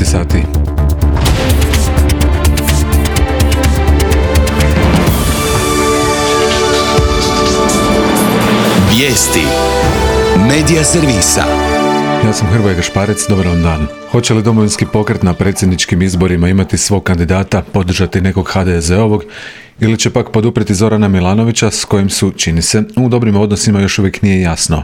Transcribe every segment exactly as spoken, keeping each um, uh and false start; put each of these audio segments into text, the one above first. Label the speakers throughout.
Speaker 1: devet sati.
Speaker 2: Vijesti Medija servisa.
Speaker 1: Ja sam Hrvoje Gašparec, dobar vam dan. Hoće li Domovinski pokret na predsjedničkim izborima imati svog kandidata, podržati nekog ha de ze ovog ili će pak poduprijeti Zorana Milanovića s kojim su, čini se, u dobrim odnosima još uvijek nije jasno.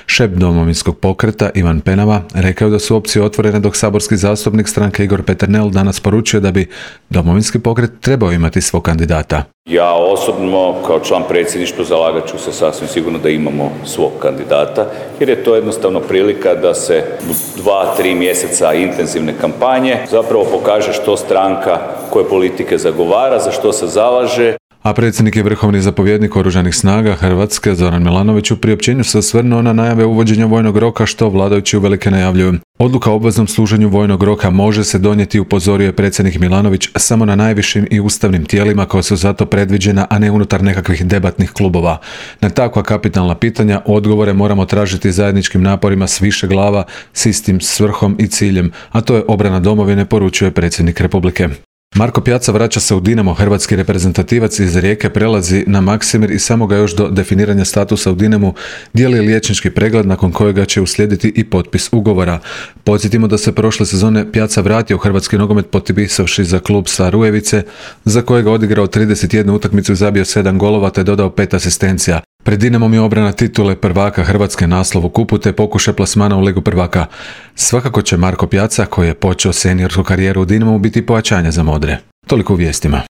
Speaker 1: Šef Domovinskog pokreta Ivan Penava rekao da su opcije otvorene dok saborski zastupnik stranke Igor Peternel danas poručio da bi Domovinski pokret trebao imati svog kandidata.
Speaker 3: Ja osobno kao član predsjedništva zalagat ću se sasvim sigurno da imamo svog kandidata jer je to jednostavno prilika da se u dva, tri mjeseca intenzivne kampanje zapravo pokaže što stranka koje politike zagovara, za što se zalaže.
Speaker 1: A predsjednik i vrhovni zapovjednik Oružanih snaga Hrvatske Zoran Milanović u priopćenju se osvrnuo na najave uvođenja vojnog roka što vladajući uvelike najavljuju. Odluka o obveznom služenju vojnog roka može se donijeti, upozorio je predsjednik Milanović, samo na najvišim i ustavnim tijelima koja su zato predviđena, a ne unutar nekakvih debatnih klubova. Na takva kapitalna pitanja odgovore moramo tražiti zajedničkim naporima s više glava, s istim svrhom i ciljem, a to je obrana domovine, poručuje predsjednik Republike. Marko Pjaca vraća se u Dinamo, hrvatski reprezentativac iz Rijeke prelazi na Maksimir i samo ga još do definiranja statusa u Dinamu dijeli liječnički pregled nakon kojega će uslijediti i potpis ugovora. Podsjetimo da se prošle sezone Pjaca vratio u hrvatski nogomet potpisavši za klub Sarujevice, za kojega odigrao trideset jednu utakmicu i zabio sedam golova te dodao pet asistencija. Pred Dinamom je obrana titule prvaka Hrvatske, naslov u kupu te pokušaj plasmana u Ligu prvaka. Svakako će Marko Pjaca, koji je počeo seniorsku karijeru u Dinamu, biti pojačanje za modre. Toliko u vijestima.